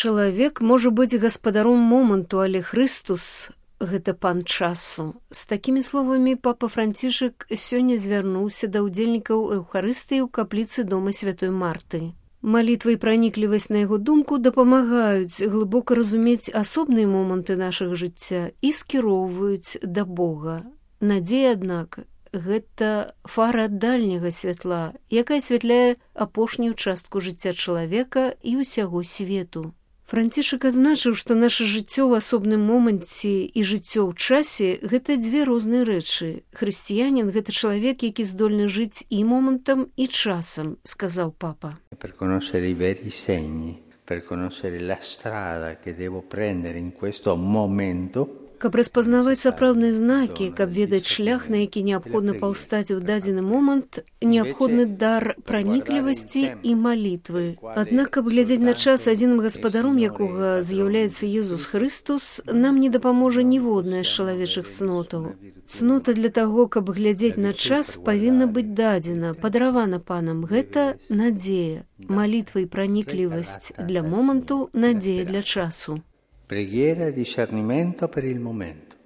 Чалавек можа быць гаспадаром моманту, але Хрыстус – гэта пан часу. З такімі словамі папа Францішак сёння звярнуўся да ўдзельнікаў Эўхарыстыі ў капліцы дома святой Марты. Малітва і праніклівасць, на яго думку, дапамагаюць глыбока разумець асобныя моманты нашага жыцця і скіроўваюць да Бога. Надзея, аднак, гэта фара дальняга святла, якая асвятляе апошнюю частку жыцця чалавека і ўсяго свету. Францішак адзначыў, што наша жыццё ў асобным моманце і жыццё ў часе – гэта дзве розныя рэчы. Хрысціянін – гэта чалавек, які здольны жыць і момантам, і часам, сказаў папа. Per conoscere i veri segni, per conoscere la strada che devo prendere in questo momento. Каб распазнаваць сапраўдныя знакі, каб ведаць шлях, на які неабходна паўстаць у дадзены момант, неабходны дар праніклівасці і малітвы. Аднак, каб глядзець на час, адзіным гаспадаром якога з'яўляецца Езус Хрыстус, нам не дапаможа ніводная з чалавечых цнотаў. Цнота для таго, каб глядзець на час, павінна быць дадзена, падаравана панам. Гэта надзея. Малітва і праніклівасць для моманту, надзея для часу. Preghiera e discernimento per il momento,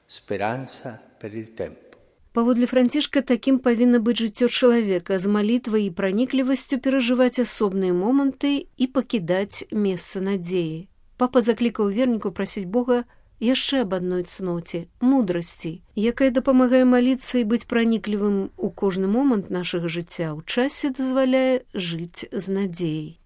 speranza per il tempo. Паводле Францішка, такім павінна быць жыццё чалавека, з малітвай і праніклівасцю перажываць асобныя моманты і пакідаць месца надзеі. Папа заклікаў вернікаў прасіць Бога яшчэ аб адной цноце – мудрасці, якая дапамагае маліцца і быць праніклівым у кожны момант нашага жыцця, у часе дазваляе жыць з надзеяй.